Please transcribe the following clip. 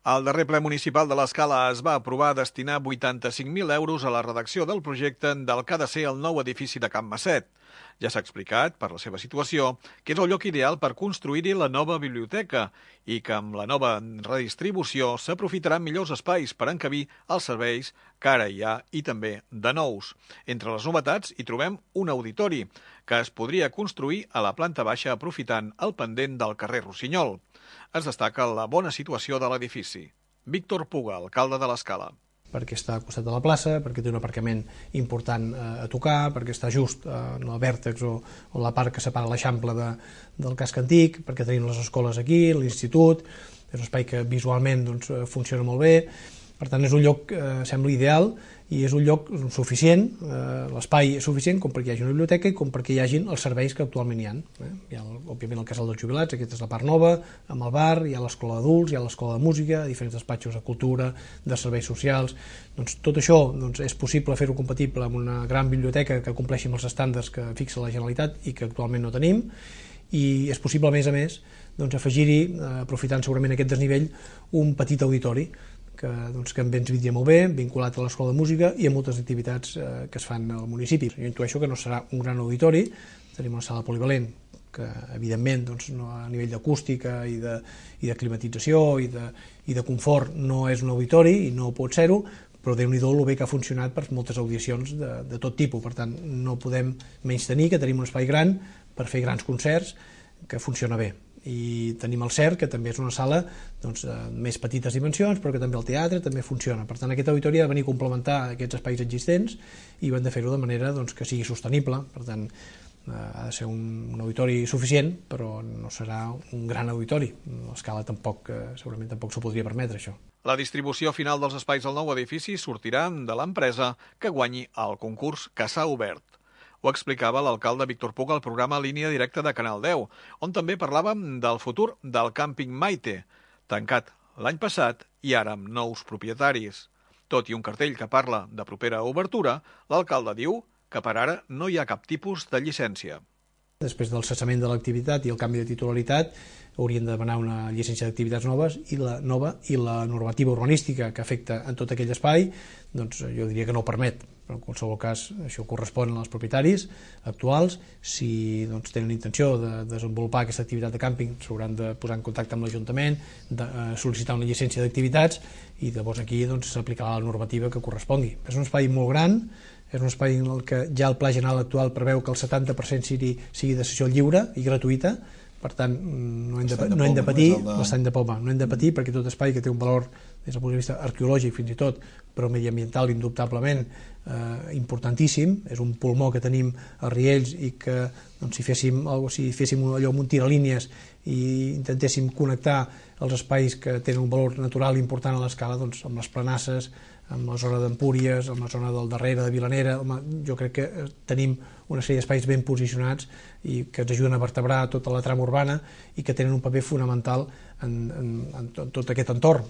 Al darrer ple municipal de l'Escala es va aprovar destinar 85.000 euros a la redacció del projecte del que ha de ser el nou edifici de Can Masset. Ja s'ha explicat, per la seva situació, que és el lloc ideal per construir-hi la nova biblioteca i que amb la nova redistribució s'aprofitaran millors espais per encabir els serveis que ara hi ha i també de nous. Entre les novetats hi trobem un auditori que es podria construir a la planta baixa aprofitant el pendent del carrer Rossinyol. Es destaca la bona situació de l'edifici. Víctor Puga, alcalde de l'Escala. Perquè està al costat de la plaça, perquè té un aparcament important a tocar, perquè està just en el vèrtex o la part que separa l'Eixample del casc antic, perquè tenim les escoles aquí, l'institut, és un espai que visualment funciona molt bé, per tant és un lloc que sembla ideal i és un lloc suficient, l'espai és suficient com perquè hi hagi una biblioteca i com perquè hi hagin els serveis que actualment hi ha. Hi ha, òbviament, el casal dels jubilats, aquesta és la part nova, amb el bar, hi ha l'escola d'adults, hi ha l'escola de música, diferents despatxos de cultura, de serveis socials. Doncs tot això és possible fer-ho compatible amb una gran biblioteca que compleixi amb els estàndards que fixa la Generalitat i que actualment no tenim, i és possible, a més, afegir-hi, aprofitant segurament aquest desnivell, un petit auditori que ens vindria molt bé, vinculat a l'escola de música i a moltes activitats que es fan al municipi. Jo intueixo que no serà un gran auditori, tenim una sala polivalent que, evidentment, a nivell d'acústica i de climatització i de confort no és un auditori i no pot ser-ho, però Déu-n'hi-do el bé que ha funcionat per moltes audicions de tot tipus. Per tant, no podem menystenir que tenim un espai gran per fer grans concerts que funciona bé. I tenim el CERC, que també és una sala de més petites dimensions, però que també el teatre també funciona. Per tant, aquest auditori ha de venir a complementar aquests espais existents i hem de fer-ho de manera que sigui sostenible. Per tant, ha de ser un auditori suficient, però no serà un gran auditori. L'Escala segurament tampoc s'ho podria permetre, això. La distribució final dels espais del nou edifici sortirà de l'empresa que guanyi el concurs que s'ha obert. Ho explicava l'alcalde Víctor Puga al programa Línia Directa de Canal 10, on també parlàvem del futur del càmping Maite, tancat l'any passat i ara amb nous propietaris. Tot i un cartell que parla de propera obertura, l'alcalde diu que per ara no hi ha cap tipus de llicència. Després del cessament de l'activitat i el canvi de titularitat, haurien de demanar una llicència d'activitats noves i la normativa urbanística que afecta en tot aquell espai, jo diria que no ho permet. Però en qualsevol cas això correspon als propietaris actuals. Si tenen intenció de desenvolupar aquesta activitat de càmping s'hauran de posar en contacte amb l'Ajuntament, de sol·licitar una llicència d'activitats i llavors aquí s'aplicarà la normativa que correspongui. És un espai molt gran, és un espai en què ja el Pla General actual preveu que el 70% sigui de cessió lliure i gratuïta. Per tant, no hem de patir l'estany de Poma, no hem de patir perquè tot espai que té un valor des del punt de vista arqueològic fins i tot, però mediambiental indubtablement importantíssim, és un pulmó que tenim a Riells i que si féssim allò amb un tiralínies i intentéssim connectar els espais que tenen un valor natural important a l'Escala amb les planasses, amb la zona d'Empúries, amb la zona del darrere de Vilanera, jo crec que tenim una sèrie d'espais ben posicionats i que ens ajuden a vertebrar tota la trama urbana i que tenen un paper fonamental en tot aquest entorn.